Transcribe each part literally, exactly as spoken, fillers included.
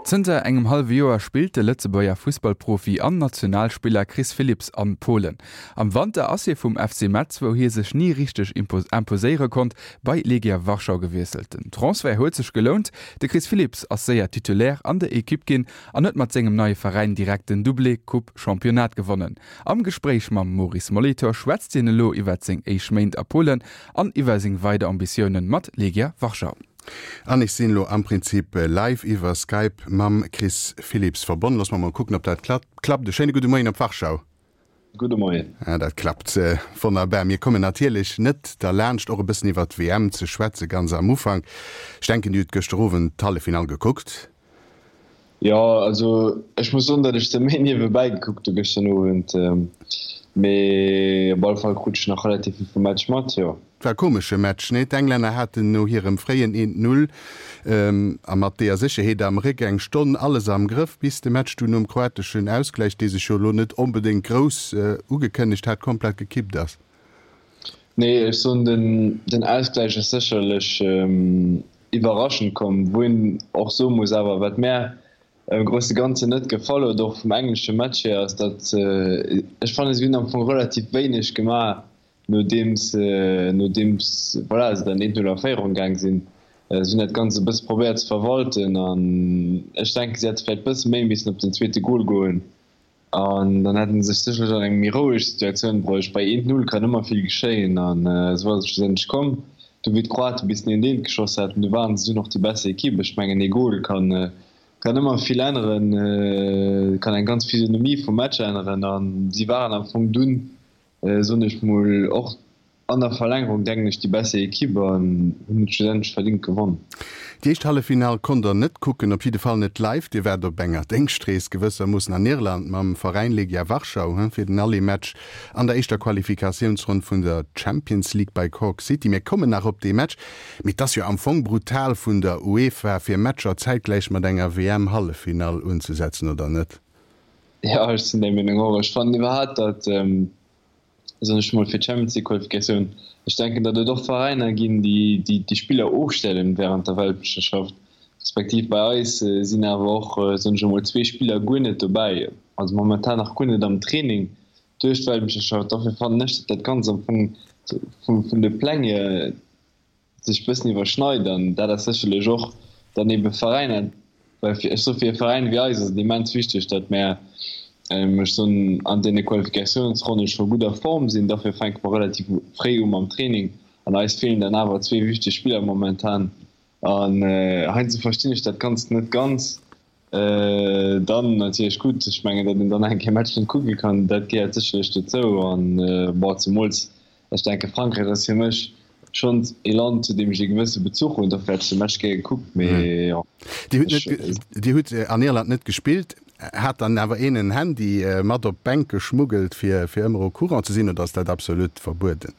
Zënter engem hallwe Joer spillt de Lëtzebuerger Fussballprofi an Nationalspiller Chris Philipps an Polen. Am Wanter ass hie vum F C Metz, wou hie sech ni richteg imposéiere konnt, bei Legia Warschau gewiesselt. Den Transfert huet sech gelount, de Chris Philipps ass séier Titulaire an der Ekipp ginn an huet mat sengem neie Veräin direkt den Doublé Coupe Championnat gewonnen. Am Gespréich mam Maurice Molitor schwätzt hien elo iwwer seng éischt Méint a Polen an iwwer seng weider Ambitiounen mat Legia Warschau. An ech sinn lo am Prinzip live iwwer Skype mam Chris Philipps verbonnen. Loosse mer mol kucken, ob dat klappt. E schéine gudde Moien op Warschau. Gudde Moien. Ja, dat klappt äh, wonnerbar. Mir kommen natierlech net derlaanscht, och e bëssen iwwer d'W M ze schwätzen, ganz am Ufank. Ech denken, Dir hutt gëschter Owend d'Halleffinall gekuckt. Jo, also ech muss soen, datt ech se méi niewebäi gekuckt hu gëschter Owend. Ähm, mee op alle Fall krut ech nach relativ vill vum Match mat, jo. War e komesche Match, nee? D'Englänner haten no hirem fréien eent Null a mat deeër Sécherheet am Réck eng Stonn alles am Grëff, bis de Match dunn nom kroateschen Ausgläich, dee sech jo elo net onbedéngt grouss ugekënnegt hat, komplett gekippt ass. Nee, ech soen, den, den Ausgläich ass sécherlech iwwerraschend komm, wou een och soe muss awer, wat mär am grousse Ganzen net gefall huet, och vum englesche Match hier, ass datt, ech fannen, si hunn am Fong relativ wéineg gemaach, nodeems, nodeems, voilà, se dann eent Null a Féierung gaang sinn. Si hunn dat Ganzt e bësse probéiert ze verwalten an ech denken, si hätte vläicht e bësse méi missen op den zweete Gol goen an dann hätte se sech sécherlech an eng méi roueg Situatioun bruecht. Bei eent Null kann ëmmer vill geschéien an esou ass et schlussendlech komm. Du wéi d'Kroate bis den eent eent geschoss haten, du waren se dunn och déi besser Ekipp. Ech mengen, ee Gol kann, kann ëmmer vill änneren, kann eng ganz Physionomie vum Match änneren an si waren am Fong dunn, soen ech mol, och an der Verlängerung, denken ech, déi besser Ekipp an hunn et schlussendlech verdingt gewonn. Déi éischt Halleffinall konnt der net kucken, op jidde Fall net live. Dir waart op enger Déngschtrees gewëssermoossen an Irland mam Veräin Legia Warschau fir den Aller-Match an der éischter Qualifikatiounsronn vun der Champions League bei Cork City. Mir kommen nach op dee Match, mee et ass jo am Fong brutal vun der UEFA fir Matcher zäitgläich mat enger W M-Halleffinall unzesetzen, oder net? Jo, ech sinn där Meenung och. Ech fannen iwwerhaapt, datt, soen ech mol, fir d'Champions League Qualifikatioun, ech denken, datt et och Veräiner ginn, déi déi Spiller ofstellen während der Weltmeeschterschaft, respektiv bei eis sinn awer och, soen ech emol, zwee Spiller guer net dobäi, also momentan nach guer net am Training duerch d'Weltmeeschterschaft. Dofir fannen ech, datt dat Ganzt am Fong vun de Pläng hier sech bëssen iwwerschneit an dat ass sécherlech och dann ebe Veräiner, well fir, ech soe fir e Veräin wéi eis ass et immens wichteg, datt mär, ech soen, an deene Qualifikatiounsronne scho gutt a Form sinn. Dofir fänke mer relativ fréi u mam Training an eis feelen dann awer zwee wichteg Spiller momentan an heiansdo verstinn ech dat Ganzt net ganz. Dann natierlech gutt, ech mengen, datt een dann eng Kéier Match net kucke kann, dat gehéiert sécherlech dozou. An bon, zemools, ech denke Frankräich ass fir mech schonn ee Land, zu deem ech ee gewësse Bezuch hunn, dofir hätt ech de Match gär gekuckt, mee jo. Dir hutt net, Dir hutt an Irland net gespillt. Hat dann awer een en Handy mat op d'Bänk geschmuggelt, fir fir ëmmer au courant ze sinn, oder ass dat absolut verbueden?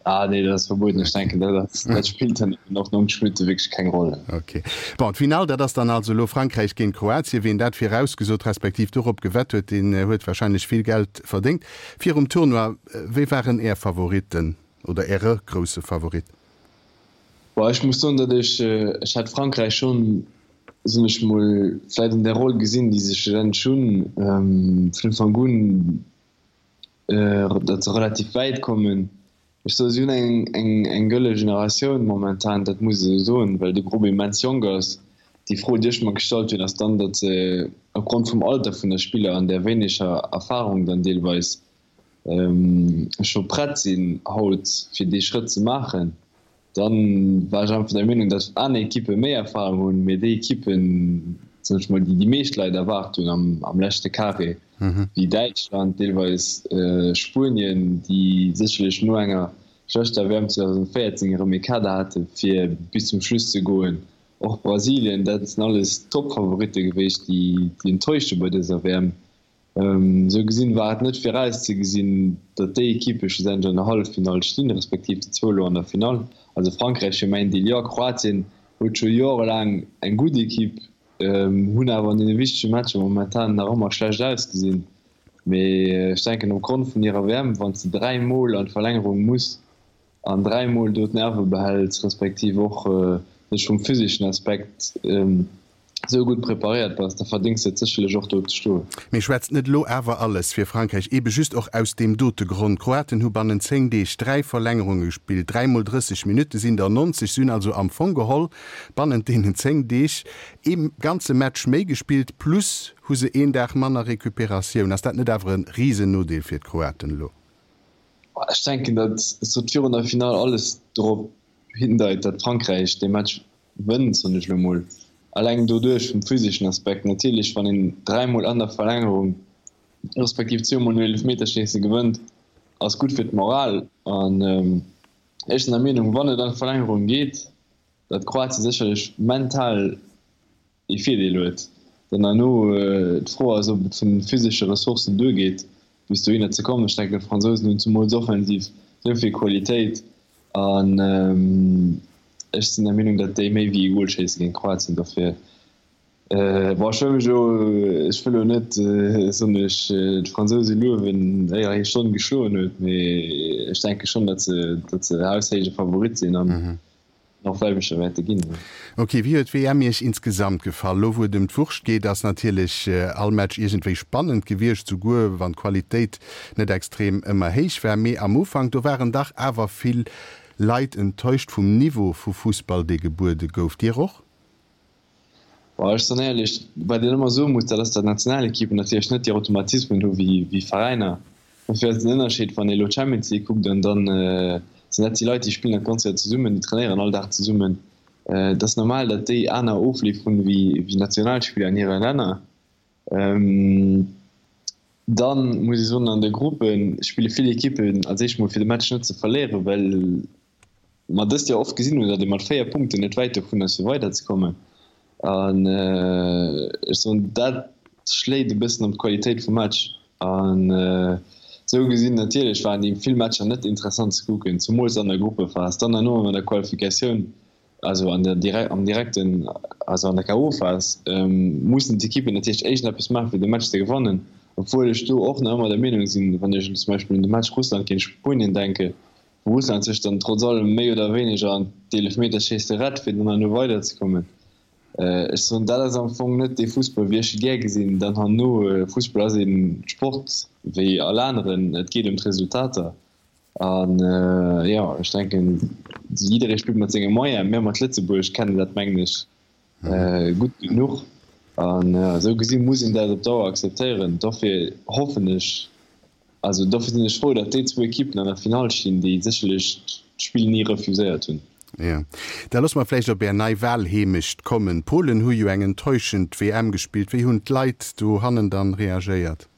Ah nee, dat ass verbueden. Ech denken, dat ass, dat spillt dann eben och neunzeg Minutte wierklech keng Roll. Ok. Bon, d'Finall, dat ass dann also elo Frankräich géint Kroatien. Wien dat virausgesot respektiv dorop gewett huet, deen huet warscheinlech vill Geld verdéngt. Virum Tournoi, wie waren Är Favoritten oder Äre grousse Favorit? Bon, ech muss soen, datt ech, ech hat Frankräich schonn, soen ech mol, vläicht an där Roll gesinn, déi se schlussendlech hunn, vun Ufank un, datt se relativ wäit kommen. Ech soe si hunn eng, eng, eng gëlle Generatioun momentan, dat muss ee esou soen, well de Grupp immens jonk ass. Déi Fro, déi ech mer gestallt hunn, ass dann, datt se opgrond vum Alter vun der Spiller an där wéineger Erfahrung dann deelweis scho prett sinn haut fir dee Schrëtt ze maachen. Dann war ech einfach der Meenung, datt aner Ekippe méi Erfahrung hunn, mee déi Ekippen, soen ech mol, déi déi meescht Leit erwaart hunn am, am leschte Carré, wéi Däitschland, deelweis Spuenien, déi sécherlech no enger schlechter W M zweedausendvéierzéng erëm ee Kader hate fir bis zum Schluss ze goen, och Brasilien, dat sinn alles Toppfavoritte gewiescht, déi, déi enttäuscht hu bei dëser W M. Esou gesinn war et net virauszegesinn, datt déi Ekippe schlussendlech an der Halleffinall stinn, respektiv déi zwou elo an der Finall. Also Frankräich fir mäin Deel jo, Kroatien huet scho jorelaang eng gutt Ekipp, hunn awer an deene wichtege Matcher momentan nach ëmmer schlecht ausgesinn. Mee ech denken opgrond vun hirer W M, wann s de dräi Mol an d'Verlängerung muss an dräi Mol do d'Nerve behäls, respektiv och sech vum physeschen Aspekt esou gutt preparéiert bass, da verdéngs de et sécherlech och do ze stoen. Mee schwätzt net elo awer alles fir Frankräich, eebe just och aus deem dote Grond? D'Kroaten hu bannent zéng Deeg dräi Verlängerunge gespillt, dräi mol drësseg Minutte sinn der nonzeg. Si hunn also am Fong geholl bannent deenen zéng Deeg ee ganze Match méi gespillt, plus hu se een Dag manner Recuperatioun. Ass dat net awer e Risennodeel fir d'Kroaten elo? Ech denken, datt sot virun der Finall alles dorop hindeit, datt Frankräich dee Match wënnt, soen ech elo mol. Alleng doduerch vum physeschen Aspekt. Natierlech, wann een dräimol an der Verlängerung, respektiv zweemol no Eelefmeterschéisse gewënnt, ass gutt fir d'Moral. An ech sinn der Meenung, wann et an d'Verlängerung geet, datt Kroatien sécherlech mental ee Virdeel huet. Dann herno d'Fro ass, ob et vun de physesche Ressourcen duergeet, bis dohinner ze kommen. Ech denken, d'Fransousen hunn zumools offensiv esou vill Qualitéit an ech sinn der Meenung, datt déi méi wéi ee Gol schéisse géint Kroatien. Dofir, bon, ech wëll mech elo, ech wëll elo net, soen ech, d'Fransouse luewen, éier hir Stonn geschloen huet, mee ech denke schonn, datt se, datt se haushéije Favorit sinn an och Weltmeeschter wäerte ginn. Ok, wéi huet d'WM Iech insgesamt gefall? Lo wou et ëm d'Wurscht geet, ass natierlech all Match iergendwéi spannend gewiescht, souguer wann d'Qualitéit net extrem ëmmer héich war. Mee am Ufank, do waren dach awer vill Leit enttäuscht vum Niveau vu Fussball, dee gebuede gouf. Dir och? Bon, ech soen éierlech, wat een ëmmer soe muss, dat ass, datt Nationalekippen natierlech net déi Automatismen hu wéi Veräiner. Dofir ass den Ënnerscheed, wann ee elo d'Champions League kuckt an dann sinn dat déi Leit, déi spillen dat ganz Joer zesummen, déi trainéieren all Dag zesummen. Et ass normal, datt déi aner Ofleef hunn wéi Nationalspiller an hire Länner. Dann muss ee soen, an de Gruppe spille vill Ekippen als éischt mol fir de Match net ze verléieren, well mer dëst Joer oft gesinn hunn, datt ee mat véier Punkten net wäit dovun ass fir weiderzekommen. An ech soen, dat schléit e bëssen op d'Qualitéit vum Match. An esou gesinn natierlech waren déi vill Matcher net interessant ze kucken, zumools an der Gruppephas. Dann herno an der Qualifikatioun, also an der direkt, am direkten, also an der K O-Phas, mussen d'Ekippen natierlech éischt eppes maachen, fir de Match ze gewannen. Obwuel ech do och nach ëmmer der Meenung sinn, wann ech zum Beispill un de Match Russland géint Spuenien denke, wou Russland sech dann trotz allem méi oder wéineger an d'Eelefmeterschéisse rett, fir dann herno weiderzekommen. Ech soen, dat ass am Fong net dee Fussball, wéi ech e gär gesinn. Dann herno, Fussball ass ee Sport wéi all aneren, et geet ëm d'Resultater. An jo, ech denken, jidderee spillt mat senge Moyenen. Mir mat Lëtzebuerg kennen dat, mengen ech, gutt genuch. An esou gesi muss een dat op Dauer akzeptéieren. Dofir hoffen ech, also dofir sinn ech frou, datt déi zwou Ekippen an der Finall stinn, déi sécherlech d'Spill ni refuséiert hunn. Jo. Da loosse mer vläicht op Är nei Wahlheemecht kommen. D'Polen hu jo eng enttäuschend W M gespillt. Wéi hunn d'Leit dohannen dann reagéiert?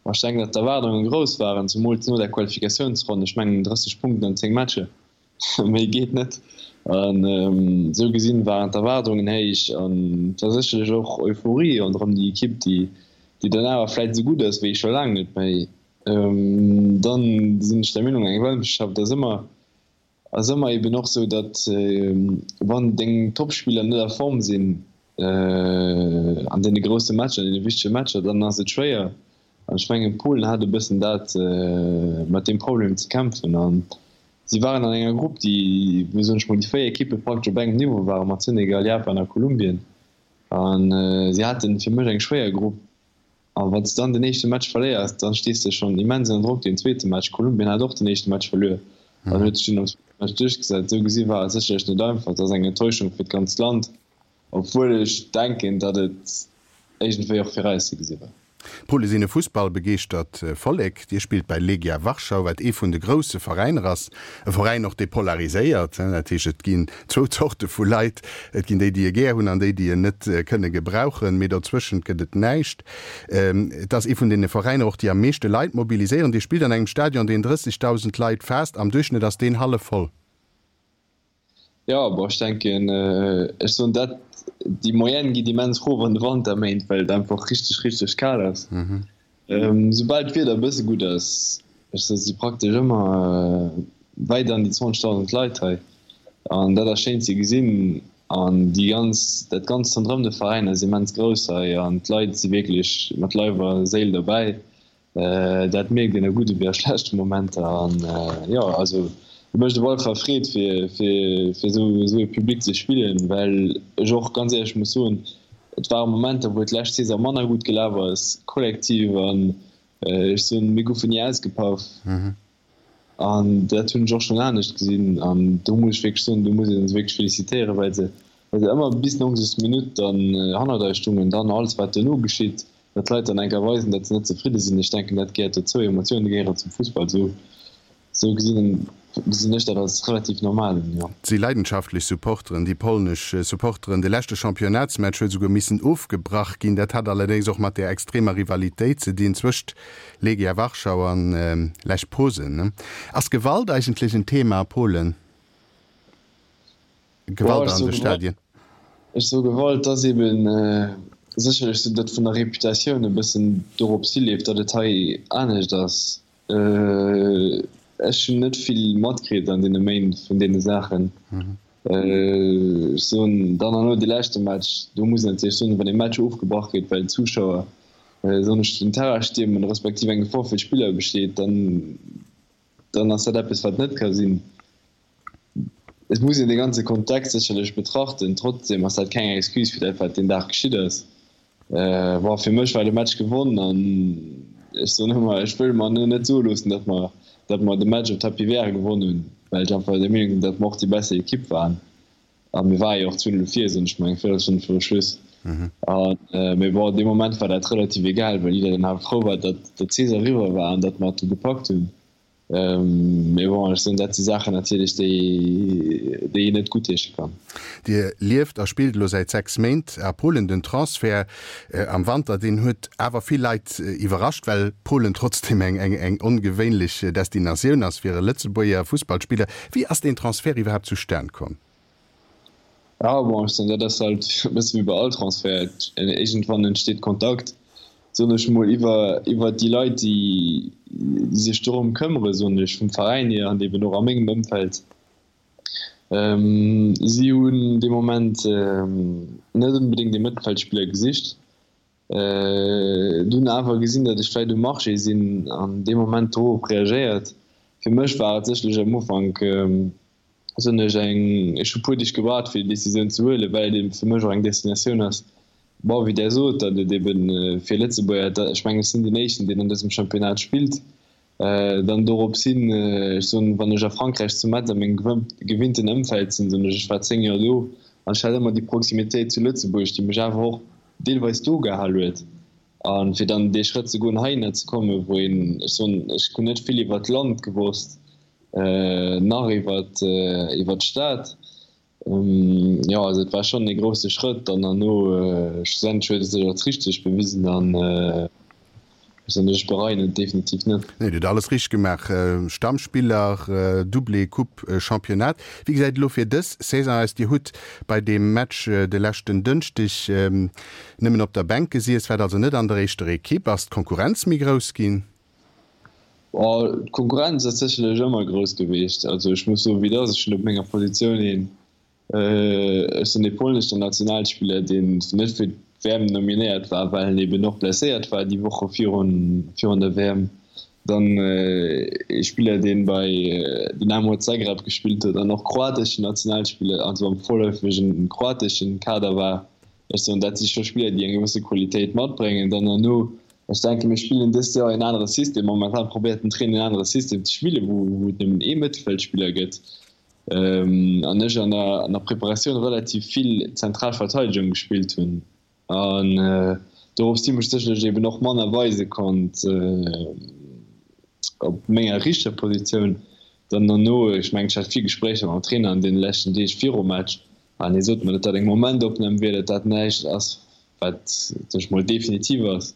Ma ech denken, datt d'Erwaardunge grouss waren, zumools no der Qualifikatiounsronn. Ech mengen drësseg Punkten an zéng Matcher, méi geet net. An esou gesinn waren d'Erwaardungen héich an et war sécherlech och Euphorie ronderëm déi Ekipp, déi déi dann awer vläit esou gutt ass wéi scho laang net méi. Dann sinn ech der Meenung, eng Weltmeeschterschaft ass ëmmer ass ëmmer eben och sou, datt wann deng Topspiller net a Form sinn an deene grousse Matcher, an deene wichtege Matcher, dann ass et schwéier. An ech mengen, Polen hat e bëssen dat, mat deem Problem ze kämpfen. An si waren an enger Grupp, déi, wou, soen ech mol, déi véier Ekippe praktesch op engem Niveau waren, mat Senegal, Japan a Kolumbien. A si haten fir mech eng schwéier Grupp. A wann s de dann den éischte Match verléiers, dann stees de schonn immens ënner Drock deen zweete Match. Kolumbien hat och den éischte Match verluer an huet sech dunn am zweete Match duerchgesat. Esou gesi war et sécherlech net einfach. Et ass eng Enttäuschung fir d'ganzt Land, obwuel ech denken, datt et iergendwéi och virauszegesinn war. D'Pole sinn e fussballbegeeschtert Vollek. Dir spillt bei Legia Warschau, wat ee vun de grousse Veräiner ass. E Veräin och, dee polariséiert. Dat heescht, et ginn zwou Zorte vu Leit. Et ginn déi, déi e gär hunn an déi, déi en net kënne gebrauchen. Mee dozwëschent gëtt et näischt. Et ass ee vun deene Veräiner och, déi am meeschte Leit mobiliséieren. Dir spillt an engem Stadion, deen drëssegdausend Leit faasst. Am Duerchschnëtt ass deen hallef voll. Jo, bon, ech denken, ech soen dat, déi Moyenne geet immens rof an de Wanterméint, well et einfach richteg, richteg kal ass. Soubal d'Wieder e bësse gutt ass, ech soen, si praktesch ëmmer wäit an déi zwanzegdausend Leit hei an dat ass schéin ze gesinn. An déi ganz, dat Ganzt ronderëm de Veräin ass immens grouss hei an d'Leit si wierklech mat Leif a Séil derbäi. Dat mierkt een a gudde wéi a schlechte Momenter. An jo, also Et mécht op alle Fall Freed fir fir fir esou esou e Public ze spillen, well ech och ganz éierlech muss soen, et ware Momenter wou et d'lescht Saison manner gutt gelaf ass, kollektiv an ech soen, mir goufen ni ausgepaff an dat hunn ech och schonn anescht gesinn an do muss ech wierklech soen, do muss een se wierklech felicitéieren, well se well se ëmmer bis neunzeg Minutt dann hannert eis stungen, dann alles wat duerno geschitt, datt d'Leit dann eng Kéier weisen, datt se net zefridde sinn, ech denken dat gehéiert dozou, Emotioune gehéieren zum Fussball, esou esou gesinn gesinn ech dat als relativ normal un, jo. Et si leidenschaftlech Supporteren, déi polnesch Supporteren. De leschte Championnatsmatch huet esouguer missen ofgebrach ginn. Dat hat allerdéngs och mat där extremer Rivalitéit ze dinn zwëscht Legia Warschau an Lech Posen. Ass Gewalt eigentlech en Thema a Polen? Gewalt an de Stadien? Ech soe Gewalt ass eben sécherlech esou, datt vun der Reputatioun e bëssen dorops hileeft, datt et hei anescht ass. Ech hunn net vill matkritt an deene Méint vun deene Saachen. Ech soen dann herno dee leschte Match, do muss een natierlech soen, wann ee Match ofgebrach gëtt, well d'Zuschauer, soen ech, den Terrain stiermen, respektiv eng Gefor fir d'Spiller besteet, dann dann ass dat eppes, wat net ka sinn. Et muss een de ganze Kontext sécherlech betrachten. Trotzdeem ass dat keng Excuse fir dat, wat deen Dag geschitt ass. Bon, fir mech war de Match gewonn an ech soen ëmmer, ech wëll mer net soe loossen, datt mer, datt mer de Match op Tapis vert gewonn hunn, well ech einfach der Meenung sinn, datt mer och déi besser Ekipp waren. A mir ware jo och zwee Null vir, soen ech mol, eng Véierelstonn viru Schluss. An, mee bon, dee Moment war dat relativ egal, well jiddereen awer frou war, datt d'Saison eriwwer war an datt mer et du gepackt hunn. Mee bon, ech soen, dat si Saachen natierlech, déi, déi een net guttheesche kann. Dir lieft a spillt elo säit sechs Méint a Polen. Den Transfert am Wanter, deen huet awer vill Leit iwwerrascht, well Polen trotzdeem eng, eng, eng ongewéinlech Destinatioun ass fir e Lëtzebuerger Fussballspiller. Wéi ass deen Transfert iwwerhaapt zustan komm? Ja, bon, ech soen, dat ass halt e bësse wéi bei all Transfert, iergendwann entsteet Kontakt soen ech mol, iwwer, iwwer déi Leit, déi, déi sech dorëm këmmere, soen ech, vum Veräin hier an eben och a mengem Ëmfeld. Si hunn dee Moment net onbedéngt ee Mëttelfeldspiller gesicht, dunn awer gesinn, datt ech vläicht um Marché sinn an dee Moment dorop reagéiert. Fir mech war et sécherlech am Ufank, soen ech, eng, ech hu puer Deeg gewaart fir déi Decisioun ze huelen, well et eben fir mech och eng Destinatioun ass, bon, wéi Der sot, datt et eben fir Lëtzebuerger, ech mengen ech sinn deen éischten deen an dësem Championnat spillt, dann dorops hin, ech soen, wann ech a Frankräich zu Metz a mengem gewinnten Ëmfeld sinn, soen ech, ech war zéng Joer do an ech hat ëmmer déi Proximitéit zu Lëtzebuerg, déi mech awer och deelweis do gehal huet. A fir dann dee Schrëtt ze goen heihinner ze kommen, wou een, ech soen, ech hunn net vill iwwert d'Land gewosst, nach iwwert iwwert d'Stad. Jo, also et war schonn ee grousse Schrëtt an herno schlussendlech huet et sech als richteg bewisen an ech soen, ech bereien et definitiv net. Nee, Dir hutt alles richteg gemaach, Stammspiller, Doublé, Coupe, Championnat. Wéi gesäit et elo fir dës Saison aus? Dir hutt bei deem Match de leschten Dënschdeg nëmmen op der Bänk gesiess, waart also net an der éischter Ekipp. Ass d'Konkurrenz méi grouss ginn? D'Konkurrenz ass sécherlech ëmmer grouss gewiescht. Also ech muss soen, wéi et ass, ech hunn op menger Positioun een, ech sinn ee polnesche Nationalspiller, deen net fir d'W M nominéiert war, well en eben och blesséiert war déi Woche virun virun der W M. Dann ee Spiller, dee bei Dinamo Zagreb gespillt huet an och kroateschen Nationalspiller, also am vorläufegen kroateschen Kader war. Ech soen, dat si scho Spiller, déi eng gewësse Qualitéit matbréngen. Dann herno, ech denken, mir spillen dëst Joer een anere System. Momentan probéiert den Trainer en anere System ze spillen, wou wou et nëmmen ee Mëttelfeldspiller gëtt. An ech an der an der Preparatioun relativ vill zentral Verteidegung gespillt hunn. An dorops hi mech sécherlech eben och manner weise konnt op menger richter Positioun. Dann herno, ech mengen, ech hat vill Gespréicher mam Trainer an deene leschten Deeg virum Match. An hie sot mer, datt dat eng Momentopnam wier, datt dat näischt ass, wat, soen ech mol, definitiv ass.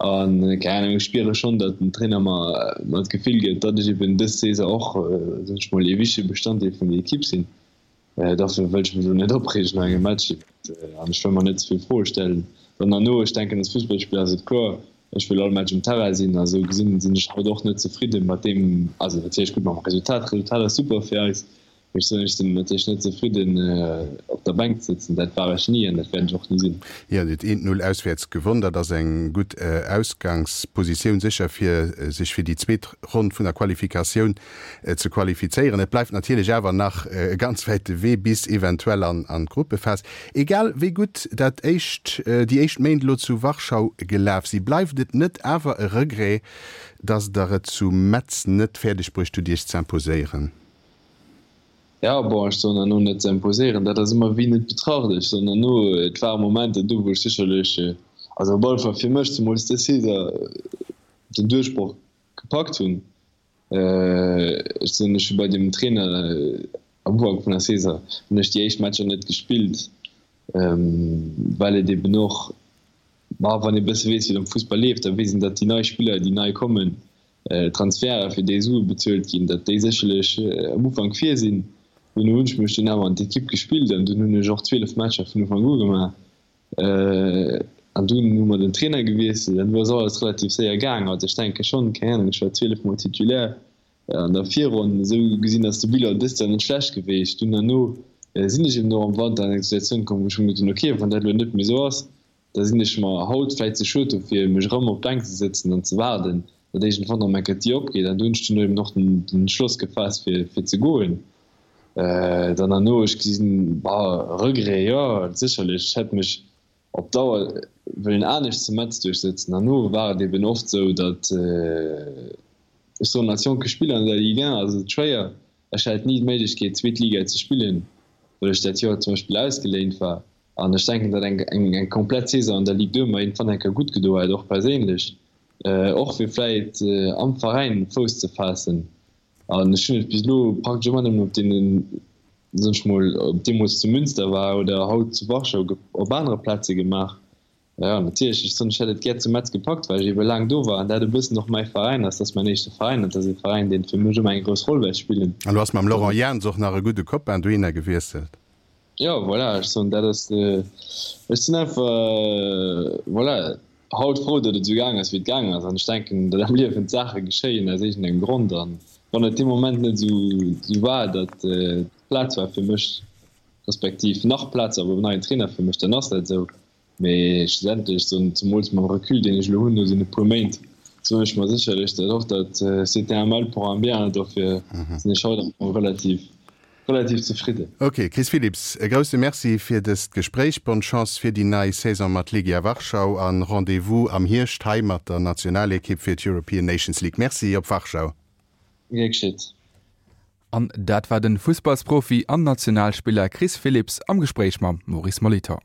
An, keng Ahnung, ech spiere schonn, datt den Trainer mer mer d'Gefill gëtt, datt ech eben dës Saison och, soen ech mol, ee wichtege Bestanddeel vun der Ekipp sinn. Dofir wëll ech mech elo net opreegen no engem Match an ech wëll mer net ze vill Froe stellen. Dann herno, ech denken, als Fussballspiller ass et kloer, ech wëll all Match um Terrain sinn a sou gesinn sinn ech haut och net zefridde mat deem, also natierlech gutt mam Resultat, d'Resultat ass super fir eis, Ech soen, ech sinn natierlech net zefridden op op der Bänk ze sëtzen. Dat war ech ni an dat wäert ech och ni sinn. Jo, Dir hutt eent Null auswäerts gewonn. Dat ass eng gutt Ausgangspositioun sécher, fir sech fir déi zweet Ronn vun der Qualifikatioun ze qualifizéieren. Et bleift natierlech awer nach e ganz wäite Wee bis eventuell an d'Gruppephas. Egal wéi gutt dat éischt, déi éischt Méint elo zu Warschau gelaf si, bleift et net awer e Regret, datt Der et zu Metz net fäerdeg bruecht hutt, Iech z'imposéieren? Jo, bon, ech soen herno net ze imposéieren, dat ass ëmmer wéi net betracht. Ech soen herno, et ware Momenter do, wou ech sécherlech, also op alle Fall fir mech zemools dës Saison, den Duerchbroch gepackt hunn. Ech soen, ech hu bei deem Trainer am Ufank vun der Saison hunn ech déi éischt Matcher net gespillt, well et eben och, ma wann ee bësse weess, wéi et am Fussball leeft, da weess een, datt déi nei Spiller, déi nei kommen, Transferte fir déi Sue bezuelt ginn, datt déi sécherlech am Ufank vir sinn. Duerno hunn ech mech dunn awer an d'Ekipp gespillt an dunn hunn ech och zwielef Matcher vun Ufank u gemaach. An dunn hu mer den Trainer gewiesselt an du ass alles relativ séier gaang. Also ech denke schonn, keng Ahnung, ech war zwielef Mol Titulaire an der Virronn. Esou gesinn ass de Bilan dëst Joer net schlecht gewiescht. Dunn herno sinn ech eben och am Wanter an eng Situatioun komm, wou ech hunn gesot hunn, okay, wann dat elo net méi esou ass, da sinn ech mer haut vläicht ze schued dofir, mech erëm op d'Bänk ze sëtzen an ze waarden, datt iergendwann erëm eng Kéier d'Dier opgeet. An do hunn ech dunn eben och den Entschloss gefaasst, fir, fir ze goen. Dann herno, ech gesinn, bah, Regret, jo, sécherlech, ech hätt mech op Dauer wëllen anescht zu Metz duerchsëtzen. Herno war et eben oft esou, datt, ech soen, als jonke Spiller an der Ligue un ass et schwéier, ech hat ni d'Méiglechkeet, zweet Liga ze spillen, well ech dat Joer zum Beispill ausgeléint war. An ech denken, datt eng eng komplett Saison an der Ligue deux mer iergendwann eng Kéier gutt gedo hätt, och perséinlech, och fir vläit am Veräin Fouss ze faassen. An ech hunn et bis elo praktesch ëmmer nëmmen op deenen, soen ech mol, ob deemools zu Münster war oder haut zu Warschau, op anere Plaze gemaach. Jo, natierlech, ech soen, ech hätt et gär zu Metz gepackt, well ech ebe laang do war an dat e bëssen och mäi Veräin ass. Dat ass mäin éischte Veräin an dat ass e Veräin, deen fir mech ëmmer eng grouss Roll wäert spillen. An du has mam Laurent Jans och nach e gudde Copain dohinner gewiesselt. Jo, voilà, ech soen, dat ass, ech sinn einfach, voilà, haut frou, datt et esou gaang ass, wéi et gaang ass. An ech denken, datt am Liewen d'Saache geschéien aus iergendengem Grond. An wann et dee Moment net esou war, datt Plaz war fir mech, respektiv nach Plaz war beim neien Trainer fir mech, dann ass dat esou. Mee schlussendlech, soen, zemools mam Recul, deen ech elo hunn no deene puer Méint, soen ech mer sécherlech dat och, datt c'était un mal pour un bien. Dofir sinn ech haut am Fong relativ, relativ zefridden. Ok, Chris Philipps, e grousse Merci fir dëst Gespréich. Bonne Chance fir déi nei Saison mat Legia Warschau an Rendez-vous am Hierscht hei mat der Nationalekipp fir d'European Nations League. Merci, op Warschau. Gär geschitt. An dat war den Fussballsprofi an Nationalspiller Chris Philipps am Gespréich mam Maurice Molitor.